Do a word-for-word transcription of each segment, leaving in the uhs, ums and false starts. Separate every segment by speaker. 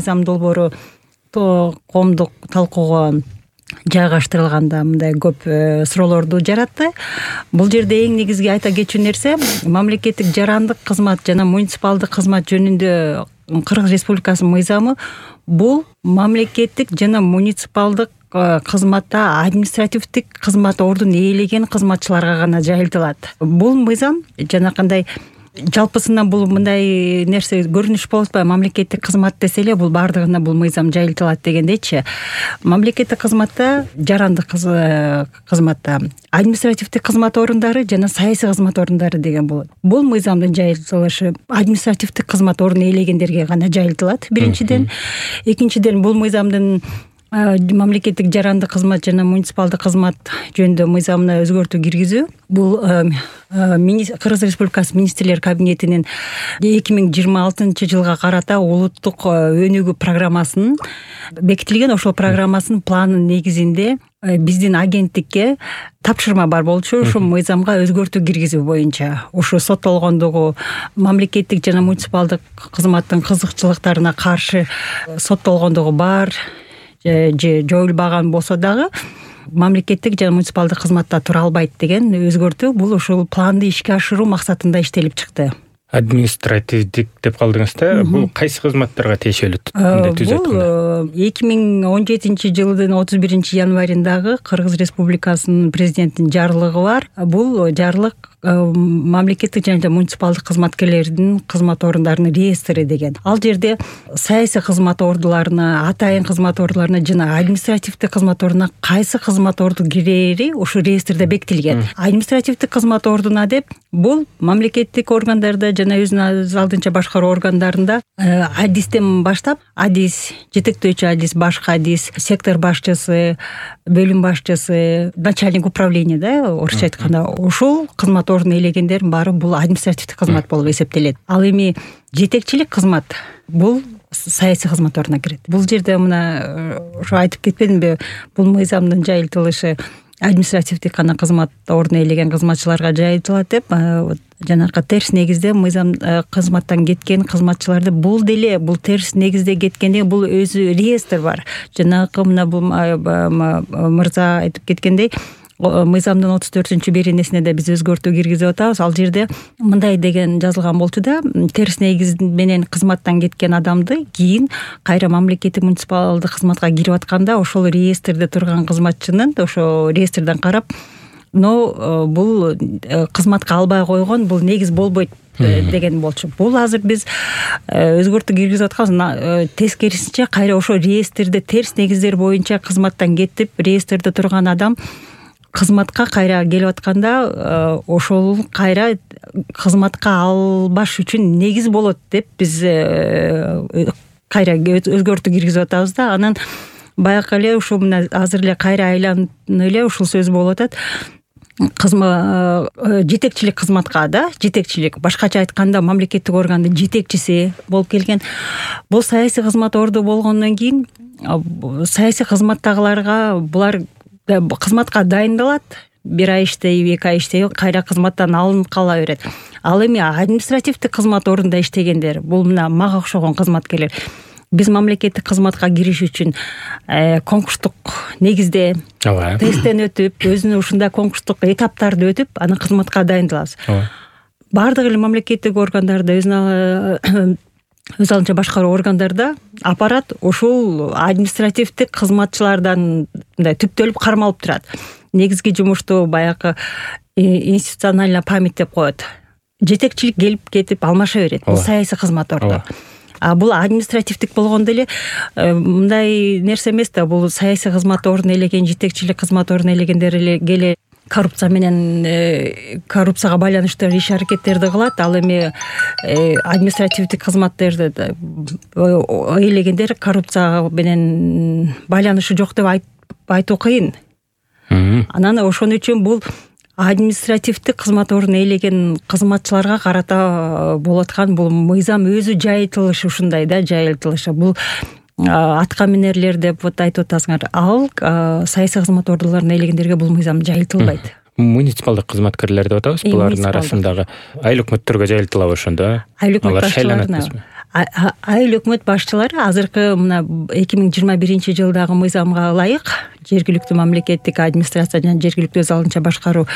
Speaker 1: мыйзам долбоору коомдук талкууга жайгаштырылганда мындай көп суроолорду жаратты. Бул жерде эң негизги айта кетчү нерсе мамлекеттик жарандык кызмат жана муниципалдык кызмат жөнүндө Кыргыз Республикасынын мыйзамы бул мамлекеттик жана муниципалдык кызматта административдик кызмат ордун ээлеген кызматчыларга гана жайылтылат. Бул мыйзам жанакындай жалпысынан бул мындай нерсе көрүнүш болуп атпайбы, мамлекеттик кызмат десе эле бул баардыгына бул мыйзам жайылтылат дегендейчи. Мамлекеттик кызматта жарандык кызматта административдик кызмат орундары жана саясий кызмат орундары деген болот. Бул мыйзамдын жайылтылышы административдик кызмат ордун ээлегендерге гана жайылтылат биринчиден. Экинчиден бул мыйзамдын мамлекеттик жарандык кызмат жана муниципалдык кызмат жөнүндө мыйзамына өзгөртүү киргизүү бул Кыргыз Республикасы министрлер кабинетинин эки миң жыйырма алтынчы жылга карата улуттук өнүгүү программасынын бекитилген ошол программасынын планынын негизинде биздин агенттикке тапшырма бар болчу. Ушул мыйзамга өзгөртүү киргизүү боюнча ушу соттолгондугу мамлекеттик жана муниципалдык кызматтын кызыкчылыктарына каршы соттолгондугу бар же жоюлбаган болсо дагы мамлекеттик жана муниципалдык кызматта тура албайт деген өзгөртүү бул ушул планды ишке ашыруу максатында иштелип чыкты.
Speaker 2: Административдик деп калдыңыз да, бул кайсы кызматтарга тиешелүү?
Speaker 1: Бул эки миң он жетинчи жылдын отуз биринчи январындагы Кыргыз Республикасынын президентинин жарлыгы бар. Бул жарлык мамлекеттик жана муниципалдык кызматкерлердин кызмат орундарынын реестри деген. Ал жерде саясий кызмат ордуларына, атайын кызмат ордуларына жана административдик кызмат ордуна кайсы кызмат орду кирери ушу реестрде бекитилген. Административдик кызмат ордуна деп бул мамлекеттик органдарда жана өзүнүн алдынча башкаруу органдарында адистен баштап, адис, жетектөөчү адис, башкы адис, сектор башчысы, бөлүм башчысы, начальник управления да, орусча айтканда, ушул кызмат ордун ээлегендердин баары бул административдик кызмат болуп эсептелет. Ал эми жетекчилик кызмат бул саясий кызмат ордуна кирет. Бул жерде мына ушу айтып кетпедимби, бул мыйзамдын жайылтылышы административдик гана кызмат ордун ээлеген кызматчыларга жайылтылат деп, жанакы терс негизде мыйзам кызматтан кеткен кызматчыларды бул деле бул терс негизде кеткенде бул өзү реестр бар. Жанакы мына бул мырза айтып кеткендей мыйзамдын отуз төртүнчү беренесине да биз өзгөртүү киргизип атабыз. Ал жерде мындай деген жазылган болчу да, терс негиз менен кызматтан кеткен адамды кийин кайра мамлекеттик муниципалдык кызматка кирип атканда ошол реестрде турган кызматчынын ошо реестрден карап, но бул кызматка албай койгон, бул негиз болбойт деген болчу. Бул азыр биз өзгөртүү киргизип атканбыз. Тескерисинче кайра ошо реестрде терс негиздер боюнча кызматтан кетип, реестрде турган адам кызматка кайра келип атканда ошол кайра кызматка албаш үчүн негиз болот деп биз кайра өзгөртүү киргизип атабыз да. Анан баягы эле ушул мына азыр эле кайра айланып эле ушул сөз болуп атат. Кызмат жетекчилик кызматка да, жетекчилик башкача айтканда мамлекеттик органдын жетекчиси болуп келген. Бул саясий кызмат орду болгондон кийин саясий кызматтагыларга булар кызматка дайындалат, бир ай иштейби, эки ай иштейби, кайра кызматтан алынып кала берет. Ал эми административдик кызмат ордунда иштегендер, бул мына мага окшогон кызматкерлер, биз мамлекеттик кызматка кириш үчүн конкурстук негизде тесттен өтүп, өзүнүн ушундай конкурстук этаптарды өтүп, анан кызматка дайындалабыз. Баардык эле мамлекеттик органдарда өзүнүн өз алдынча башкаруу органдарда аппарат ушул административдик кызматчылардан мындай түптөлүп кармалып турат. Негизги жумушту баягы институциональная память деп коет. Жетекчилик келип кетип алмаша берет. Бул саясий кызмат орду. А бул административдик болгондо эле мындай нерсе эмес да, бул саясий кызмат ордун ээлеген, жетекчилик кызмат ордун ээлегендер эле коррупция менен коррупцияга байланыштуу иш аракеттерди кылат. Ал эми административдик кызматтерди ээлегендер коррупцияга менен байланышы жок деп айтуу кыйын. Анан ошон үчүн бул административдик кызмат ордун ээлеген кызматчыларга карата болуп аткан бул мыйзам өзү жайылтылышы ушундай да, жайылтылышы. Бул атка минерлер деп вот айтып атасыңар, ал саясий кызмат ордуларын ээлегендерге бул мыйзам жайылтылбайт.
Speaker 2: Муниципалдык кызматкерлер деп атабыз, булардын арасындагы айыл өкмөттөргө жайылтылабы ошондо?
Speaker 1: Айыл өкмөт башчыларына. айыл өкмөт башчылары азыркы мына эки миң жыйырма биринчи жылдагы мыйзамга ылайык жергиликтүү мамлекеттик администрация жана жергиликтүү өз алдынча башкаруу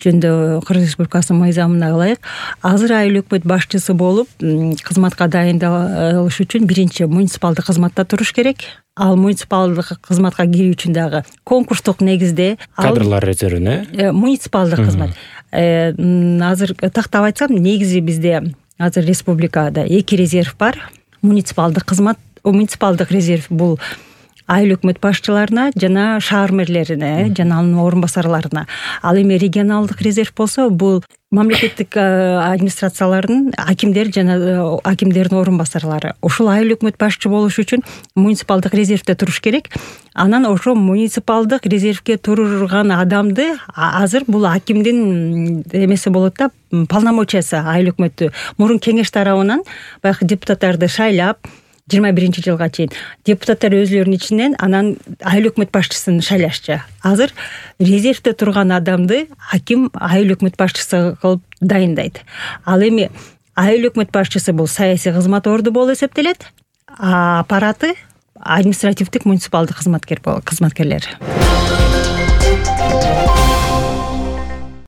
Speaker 1: жөнүндө Кыргыз Республикасынын мыйзамына ылайык азыр айыл өкмөт башчысы болуп кызматка дайындалыш үчүн биринчи муниципалдык кызматта туруш керек. Ал муниципалдык кызматка кирүү үчүн дагы конкурстук негизде
Speaker 2: кадрлар резервине
Speaker 1: муниципалдык кызмат. Азыр тактап айтсам, негизи бизде азыр республикада эки резерв бар. Муниципалдык кызмат, муниципалдык резерв бул айыл өкмөт башчыларына жана шаар мэрлерине жана анын орун басарларына. Ал эми регионалдык резерв болсо бул мамлекеттик администрациялардын акимдер жана акимдердин орун басарлары. Ошол айыл өкмөт башчы болуш үчүн муниципалдык резервде туруш керек. Анан ошо муниципалдык резервге турган адамды азыр бул акимдин эмеси болот да, полномочиясы айыл өкмөттү мурун кеңеш тарабынан баягы депутаттарды шайлап жыйырма биринчи жылга чейин депутаттар өзлөрүнүн ичинен анан айыл өкмөт башчысын шайлашчы. Азыр резервде турган адамды аким айыл өкмөт башчысы кылып дайындайт. Ал эми айыл өкмөт башчысы бул саясий кызмат орду болуп эсептелет, а аппараты административдик муниципалдык кызматкер кызматкерлер.